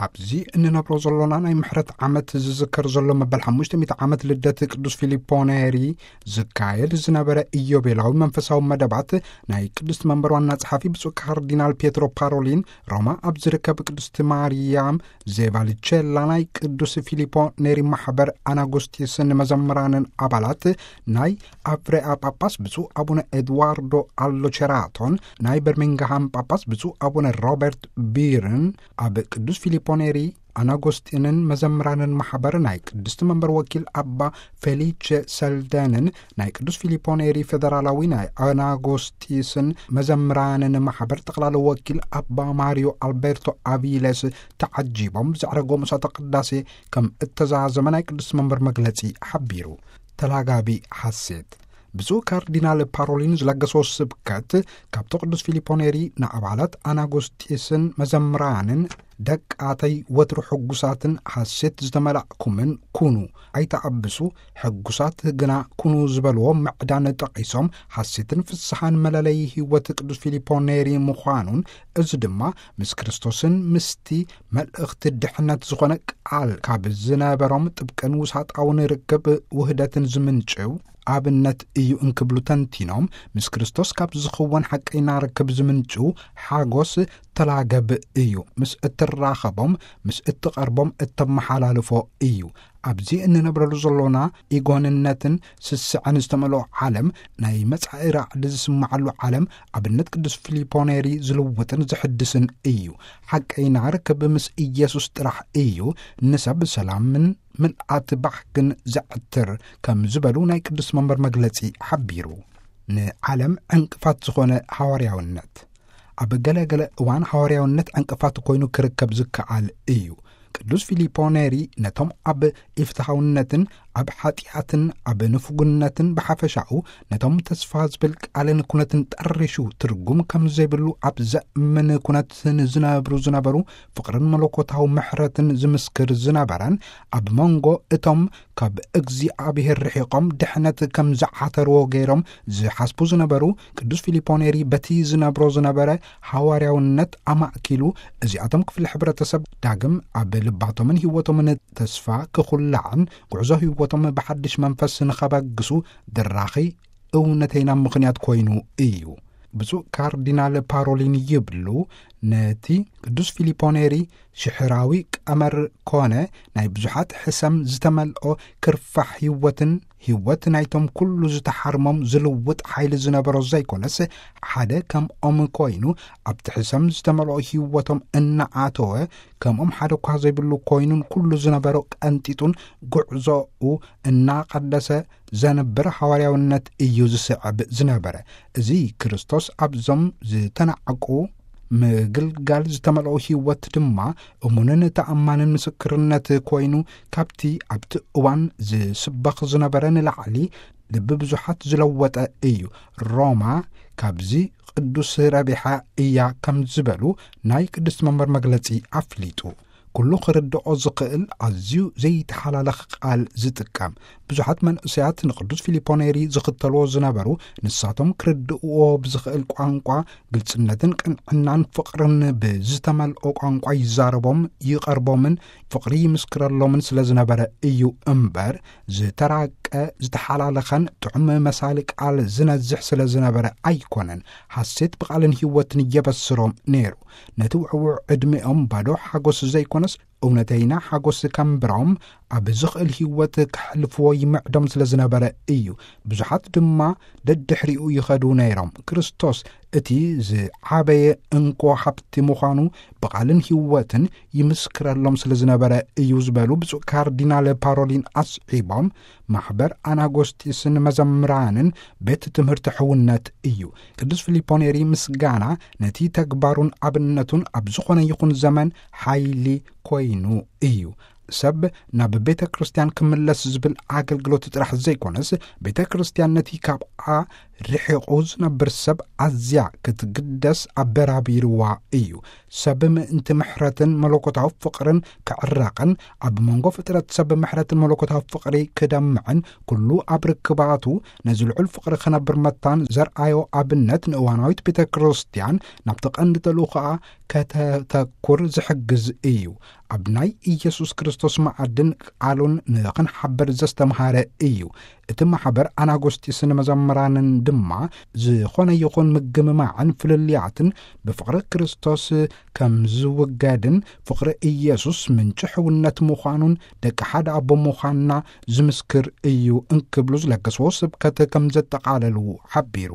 ኣብዚ እንነብሮ ዘሎና ናይ ምሕረት ዓመት ዝዝከር ዘሎ መበል ሓሙሽተ ሚእቲ ዓመት ልደት ቅዱስ ፊሊፖ ኔሪ ዝካየድ ዝነበረ ኢዮቤላዊ መንፈሳዊ መደባት፣ ናይ ቅድስት መንበር ዋና ጸሓፊ ብፁዕ ካርዲናል ፒየትሮ ፓሮሊን ሮማ ኣብ ዝርከብ ቅድስት ማርያም ዜቫልቼላ ናይ ቅዱስ ፊሊፖ ኔሪ ማሕበር ኣናጉስጢስን መዘምራንን ኣባላት፣ ናይ ኣፍሬኣ ጳጳስ ብፁዕ ኣቡነ ኤድዋርዶ ኣሎቸራቶን ናይ በርሚንግሃም ጳጳስ ብፁዕ ኣቡነ ሮበርት ቢርን ኣብ ቅዱስ ፊሊፖ ኔሪ ኣናጎስጢንን መዘምራንን ማሕበር፣ ናይ ቅድስቲ መንበር ወኪል ኣባ ፌሊቼ ሰልደንን ናይ ቅዱስ ፊሊፖ ኔሪ ፌደራላዊ ናይ ኣናጎስጢስን መዘምራንን ማሕበር ጠቕላላ ወኪል ኣባ ማሪዮ ኣልቤርቶ ኣቪለስ ተዓጂቦም ብዘዕረጎ ምሳተ ቅዳሴ ከም እተዛዘመ ናይ ቅድስቲ መንበር መግለጺ ሓቢሩ። ተላጋቢ ሓሴት። ብፁዕ ካርዲናል ፓሮሊን ዝለገሶ ስብከት፣ ካብቲ ቅዱስ ፊሊፖ ኔሪ ንኣባላት ኣናጎስጢስን መዘምራንን፣ ደቃተይ ወትሩ ሕጉሳትን ሓሴት ዝተመላእኩምን ኩኑ፣ ኣይተኣብሱ፣ ሕጉሳት ግና ኩኑ ዝበልዎ ምዕዳን ጠቒሶም፣ ሓሴትን ፍስሓን መለለዪ ህይወት ቅዱስ ፊሊፖ ኔሪ ምዃኑን፣ እዚ ድማ ምስ ክርስቶስን ምስቲ መልእኽቲ ድሕነት ዝኾነ ቃል ካብ ዝነበሮም ጥብቅን ውሳጣውን ርክብ ውህደትን ዝምንጭው ኣብነት እዩ እንክብሉ ተንቲኖም፣ ምስ ክርስቶስ ካብ ዝኽወን ሓቀይና ርክብ ዝምንጭው ሓጎስ ተላገብ እዩ። ምስ እትራኸቦም፣ ምስ እትቐርቦም እተመሓላልፎ እዩ። ኣብዚ እንነብረሉ ዘሎና ኢጎንነትን ስስዐን ዝተመልኦ ዓለም፣ ናይ መጻኢ ራዕዲ ዝስምዓሉ ዓለም፣ ኣብነት ቅዱስ ፊሊፖ ኔሪ ዝልውጥን ዝሕድስን እዩ። ሓቀይና ርክብ ምስ ኢየሱስ ጥራሕ እዩ ንሰብ ሰላምን ምልኣት ባህግን ዘዕትር፣ ከም ዝበሉ ናይ ቅዱስ መንበር መግለጺ ሓቢሩ። ንዓለም ዕንቅፋት ዝኾነ ሃዋርያውነት። ኣብ ገለ ገለ እዋን ሃዋርያውነት ዕንቅፋት ኮይኑ ክርከብ ዝከኣል እዩ። ቅዱስ ፊሊፖ ኔሪ ነቶም ኣብ ኢፍትሃውነትን ኣብ ሓጢኣትን ኣብ ንፉግነትን ብሓፈሻኡ ነቶም ተስፋ ዝብል ቃልን ኩነትን ጠሪሹ ትርጉም ከም ዘይብሉ ኣብ ዘእምን ኩነት ንዝነብሩ ዝነበሩ ፍቕርን መለኮታዊ ምሕረትን ዝምስክር ዝነበረን፣ ኣብ መንጎ እቶም ካብ እግዚኣብሔር ርሒቖም ድሕነት ከም ዝዓተርዎ ገይሮም ዝሓስቡ ዝነበሩ፣ ቅዱስ ፊሊፖ ኔሪ በቲ ዝነብሮ ዝነበረ ሃዋርያውነት ኣማእኪሉ፣ እዚኣቶም ክፍሊ ሕብረተሰብ ዳግም ኣብ ልባቶምን ህይወቶምን ተስፋ ክኹላዕን፣ ጉዕዞ ህይወቶም ብሓድሽ መንፈስ ንኸበግሱ ድራኺ እውነተይና ምኽንያት ኮይኑ እዩ። ብፁዕ ካርዲናል ፓሮሊን ይብሉ፣ ነቲ ቅዱስ ፊሊፖ ኔሪ ሽሕራዊ ቀመር ኮነ ናይ ብዙሓት ሕሰም ዝተመልኦ ክርፋሕ ህይወትን፣ ህይወት ናይቶም ኩሉ ዝተሓርሞም ዝልውጥ ሓይሊ ዝነበሮ ዘይኮነስ፣ ሓደ ከምኦም ኮይኑ ኣብቲ ሕሰም ዝተመልኦ ህይወቶም እናኣተወ፣ ከምኦም ሓደ እኳ ዘይብሉ ኮይኑን ኩሉ ዝነበሮ ቀንጢጡን ጉዕዞኡ እናቐደሰ ዘንብር ሃዋርያውነት እዩ ዝስዕብ ዝነበረ። እዚ ክርስቶስ ኣብዞም ዝተናዕቁ ምግልጋል ዝተመልኦ ህይወት ድማ እሙንን ተኣማንን ምስክርነት ኮይኑ፣ ካብቲ ኣብቲ እዋን ዝስበኽ ዝነበረ ንላዕሊ ልቢ ብዙሓት ዝለወጠ እዩ። ሮማ ካብዚ ቅዱስ ረቢሓ እያ ከም ዝበሉ ናይ ቅድስት መንበር መግለጺ ኣፍሊጡ። ኩሉ ክርድኦ ዝኽእል ኣዝዩ ዘይተሓላለኽ ቃል ዝጥቀም። ብዙሓት መንእሰያት ንቅዱስ ፊሊፖ ኔሪ ዝኽተልዎ ዝነበሩ፣ ንሳቶም ክርድእዎ ብዝኽእል ቋንቋ፣ ግልጽነትን ቅንዕናን ፍቕርን ብዝተመልኦ ቋንቋ ይዛረቦም፣ ይቐርቦምን ፍቕሪ ይምስክረሎምን ስለ ዝነበረ እዩ እምበር፣ ዝተራቀ፣ ዝተሓላለኸን ጥዑም መሳሊ ቃል ዝነዝሕ ስለ ዝነበረ ኣይኮነን። ሓሴት ብቓልን ህይወትን እየበስሮም ነይሩ። ነቲ ውዕዉዕ ዕድሜኦም ባዶ ሓጎስ ዘይኮነስ፣ እውነተይና ሓጎስ ከንብሮም ኣብ ዝኽእል ህይወት ከሕልፍዎ ይምዕዶም ስለ ዝነበረ እዩ። ብዙሓት ድማ ደድሕሪኡ ይኸዱ ነይሮም። ክርስቶስ እቲ ዝዓበየ እንኮ ሃብቲ ምዃኑ ብቓልን ህይወትን ይምስክረሎም ስለ ዝነበረ እዩ ዝበሉ ብፁዕ ካርዲናል ፓሮሊን ኣስዒቦም፣ ማሕበር ኣናጎስጢስን መዘምራንን ቤት ትምህርቲ ሕውነት እዩ። ቅዱስ ፊሊፖ ኔሪ ምስጋና ነቲ ተግባሩን ኣብነቱን ኣብ ዝኾነ ይኹን ዘመን ሓይሊ ኮይኑ እዩ። ሰብ ናብ ቤተ ክርስቲያን ክምለስ ዝብል ኣገልግሎት ጥራሕ ዘይኮነስ፣ ቤተ ክርስቲያን ነቲ ካብኣ ርሒቑ ዝነብር ሰብ ኣዝያ ክትግደስ ኣበራቢርዋ እዩ። ሰብ ምእንቲ ምሕረትን መለኮታዊ ፍቕርን ክዕረቕን፣ ኣብ መንጎ ፍጥረት ሰብ ምሕረትን መለኮታዊ ፍቕሪ ክደምዕን፣ ኩሉ ኣብ ርክባቱ ነዚ ልዑል ፍቕሪ ክነብር መታን ዘርኣዮ ኣብነት ንእዋናዊት ቤተ ክርስቲያን ናብቲ ቀንዲ ተልእኾኣ ከተተኩር ዝሕግዝ እዩ። ኣብ ናይ ኢየሱስ ክርስቶስ መዓድን ቃሉን ንኽንሓበር ዘስተምሃረ እዩ። እቲ ማሕበር ኣናጎስጢስን መዘምራንን ድማ ዝኾነ ይኹን ምግምማዕን ፍልልያትን ብፍቕሪ ክርስቶስ ከም ዝውገድን፣ ፍቕሪ ኢየሱስ ምንጪ ሕውነት ምዃኑን፣ ደቂ ሓደ ኣቦ ምዃንና ዝምስክር እዩ እንክብሉ ዝለገስዎ ስብከት ከም ዘጠቓለሉ ሓቢሩ።